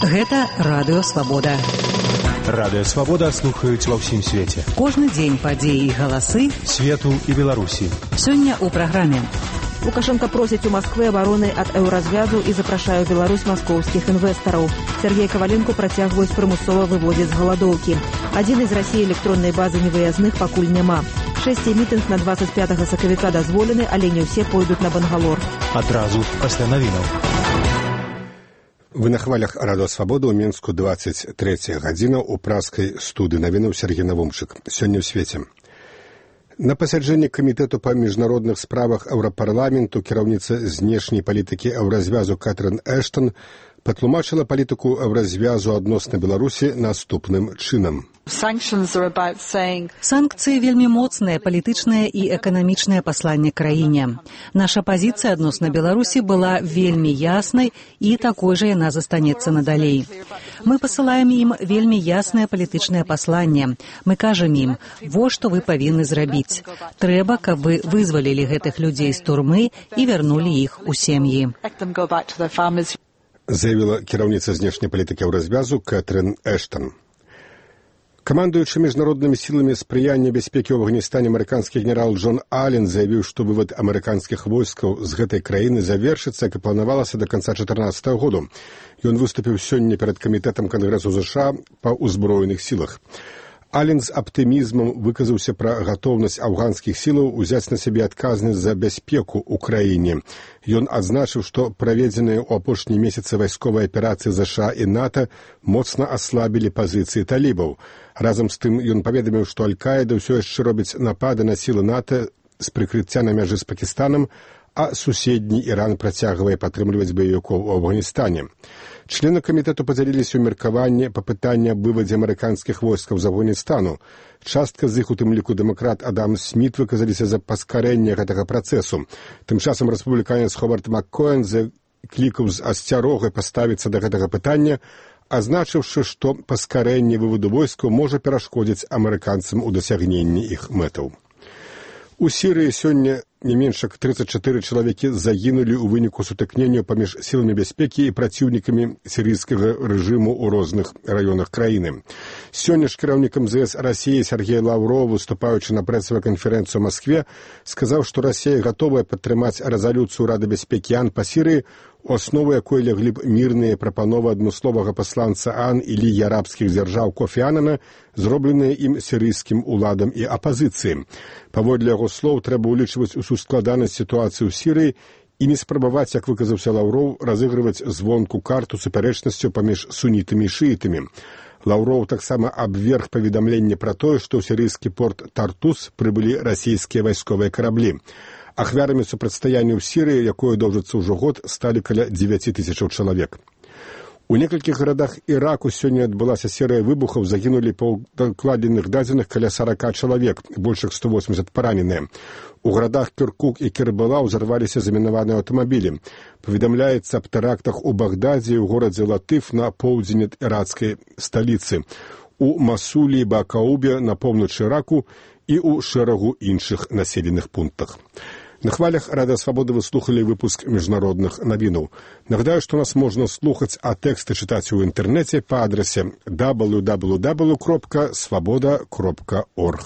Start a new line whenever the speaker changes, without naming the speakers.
Гэта Радыё Свабода.
Радыё Свабода слухаюць ва ўсім свеце.
Кожны дзень падзеі і галасы
свету і Беларусі.
Сёння ў праграме.
Лукашенко просіць у Москвы абароны ад еўразвязу і запрашае ў Беларусь маскоўскіх інвестараў. Сергей Коваленко працягваюць прымусова выводзіць з галадоўкі. Адзін з Расіі электроннай базы невыязных пакуль няма. 6 мітынг на 25 сакавіка дазволены, але не ўсе пойдуць на Бангалор.
Адразу пасля навінаў.
Вы на хвалях Радыё Свабода ў Мінску 23 гадзіна ў праскай студыі навінаў Сергей Навумчык. Сёння ў свеце. На пасяджэнні камітэту па міжнародных справах Еўрапарламенту кіраўніца знешняй палітыкі еўразвязу Кэтрын Эштон патлумачыла палітыку еўразвязу адносна Беларусі наступным чынам.
Санкцыі вельмі моцнае палітычнае і эканамічнае пасланне краіне. Наша пазіцыя адносна Беларусі была вельмі яснай і такой жа яна застанецца надалей. Мы пасылаем ім вельмі яснае палітычнае пасланне. Мы кажам ім, во што вы павінны зрабіць. Трэба, каб вы вызвалілі гэтых людзей з турмы і вярнулі іх у сем'і.
Заявіла кіраўніца знешняй палітыкі еўразвязу Кэтрын Эштон. Камандуючы міжнароднымі сіламі спрыяння бяспекі ў Афганістане амерыканскі генерал Джон Аллен заявіў, што вывад амерыканскіх войскаў з гэтай краіны завершыцца, як і планавалася да канца 2014 году. Ён выступіў сёння перад камітэтам Кангрэсу США па ўзброеных сілах. Аллен з аптымізмам выказаўся пра гатоўнасць афганскіх сілаў узяць на сябе адказнасць за бяспеку ў краіне. Ён адзначыў, што праведзеныя ў апошнія месяцы вайсковыя аперацыі США і НАТО моцна аслабілі пазіцыі талібаў. Разам з тым ён паведаміў, што Аль-Каіда ўсё яшчэ робіць напады на сілы НАТО з прыкрыцця на мяжы з Пакістанам, а суседні Іран працягвае падтрымліваць баевікоў у Афганістане. Члены камітэту падзяліліся ў меркаванні па пытанні аб вывадзе амерыканскіх войскаў з Афганістану. Частка з іх, у тым ліку дэмакрат Адам Сміт, выказаліся за паскарэнне гэтага працэсу. Тым часам рэспубліканец Ховард Маккоэн заклікаў з асцярогай паставіцца да гэтага пытання, азначыўшы, што паскарэнне выводу войскаў можа перашкодзіць амерыканцам у дасягненні іх мэтаў. У Сірыі сёння не менш як 34 чалавекі загінулі ў выніку сутыкнення паміж сіламі бяспекі і праціўнікамі сірыйскага рэжыму ў розных раёнах краіны. Сёння ж кіраўнік МЗС Расіі Сергей Лаўров, выступаючы на прэсавай канферэнцыі ў Маскве, сказаў, што Расія гатовая падтрымаць рэзалюцыю Рады бяспекі АН па Сірыі, у аснову якой леглі б мірныя прапановы адмысловага пасланца АН і Лігі арабскіх дзяржаў Кофі Анана, зробленыя ім сірыйскім уладам і апазіцыі. Паводле яго слоў, трэба ўлічваць усю складанасць сітуацыі ў Сірыі і не спрабаваць, як выказаўся Лаўроў, разыгрываць звонку карту супярэчнасцю паміж сунітамі і шыітамі. Лаўроў таксама абверг паведамленне пра тое, што ў сірыйскі порт Тартус прыбылі расійскія вайсковыя караблі. Ахвярамі супрацьстаяння ў Сірыі, якое доўжыцца ўжо год, сталі каля 9 тысячаў чалавек. У некалькіх гарадах Іраку сёння адбылася серыя выбухаў, загінулі па дакладзеных дадзеных каля 40 чалавек, больш як 180 параненыя. У гарадах Кіркук і Кербала ўзарваліся замінаваныя аўтамабілі. Паведамляецца аб тэрактах у Багдадзе і ў горадзе Латыф на поўдзень ад ірацкай сталіцы, у Масулі і Бакаубе на поўначы Іраку і ў шэрагу іншых населеных пунктах. На хвалях Радыё Свабода вы слухалі выпуск міжнародных навінаў. Нагадаю, што нас можна слухаць, а тэксты чытаць у інтэрнэце па адрасе www.swaboda.org.